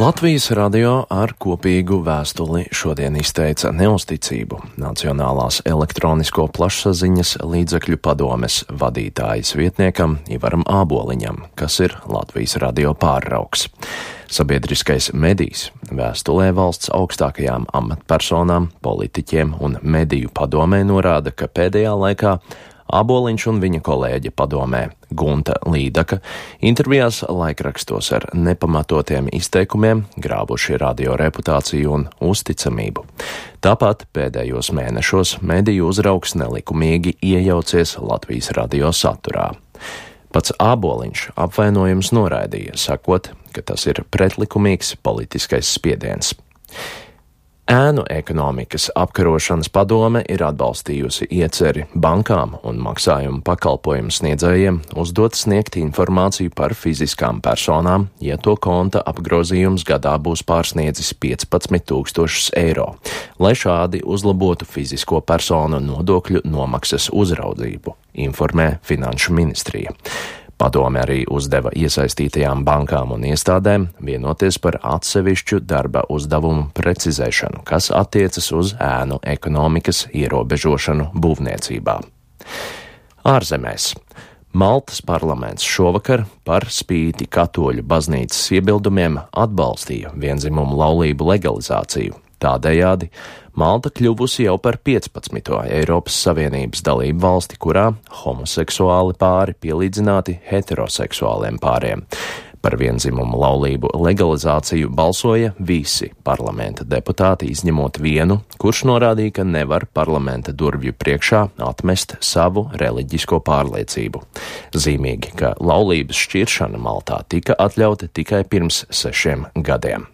Latvijas radio ar kopīgu vēstuli šodien izteica neusticību Nacionālās elektronisko plašsaziņas līdzekļu padomes vadītājas vietniekam Ivaram Āboliņam, kas ir Latvijas radio pārraugs. Sabiedriskais medijs vēstulē valsts augstākajām amatpersonām, politiķiem un mediju padomē norāda, ka pēdējā laikā Āboliņš un viņa kolēģe padomē Gunta Līdaka intervijās laikrakstos ar nepamatotiem izteikumiem grābuši radio reputāciju un uzticamību. Tāpat pēdējos mēnešos mediju uzraugs nelikumīgi iejaucies Latvijas radio saturā. Pats Āboliņš apvainojums noraidīja, sakot, ka tas ir pretlikumīgs politiskais spiediens. Ēnu ekonomikas apkarošanas padome ir atbalstījusi ieceri bankām un maksājumu pakalpojumu sniedzējiem uzdot sniegt informāciju par fiziskām personām, ja to konta apgrozījums gadā būs pārsniedzis 15 000 eiro, lai šādi uzlabotu fizisko personu nodokļu nomaksas uzraudzību, informē Finanšu ministrija. Padome arī uzdeva iesaistītajām bankām un iestādēm vienoties par atsevišķu darba uzdevumu precizēšanu, kas attiecas uz ēnu ekonomikas ierobežošanu būvniecībā. Ārzemēs. Maltas parlaments šovakar par spīti katoļu baznīcas iebildumiem atbalstīja viendzimumu laulību legalizāciju. Tādējādi Malta kļuvusi jau par 15. Eiropas Savienības dalību valsti, kurā homoseksuāli pāri pielīdzināti heteroseksuāliem pāriem. Par viendzimumu laulību legalizāciju balsoja visi parlamenta deputāti, izņemot vienu, kurš norādīja, ka nevar parlamenta durvju priekšā atmest savu reliģisko pārliecību. Zīmīgi, ka laulības šķiršana Maltā tika atļauta tikai pirms 6 gadiem.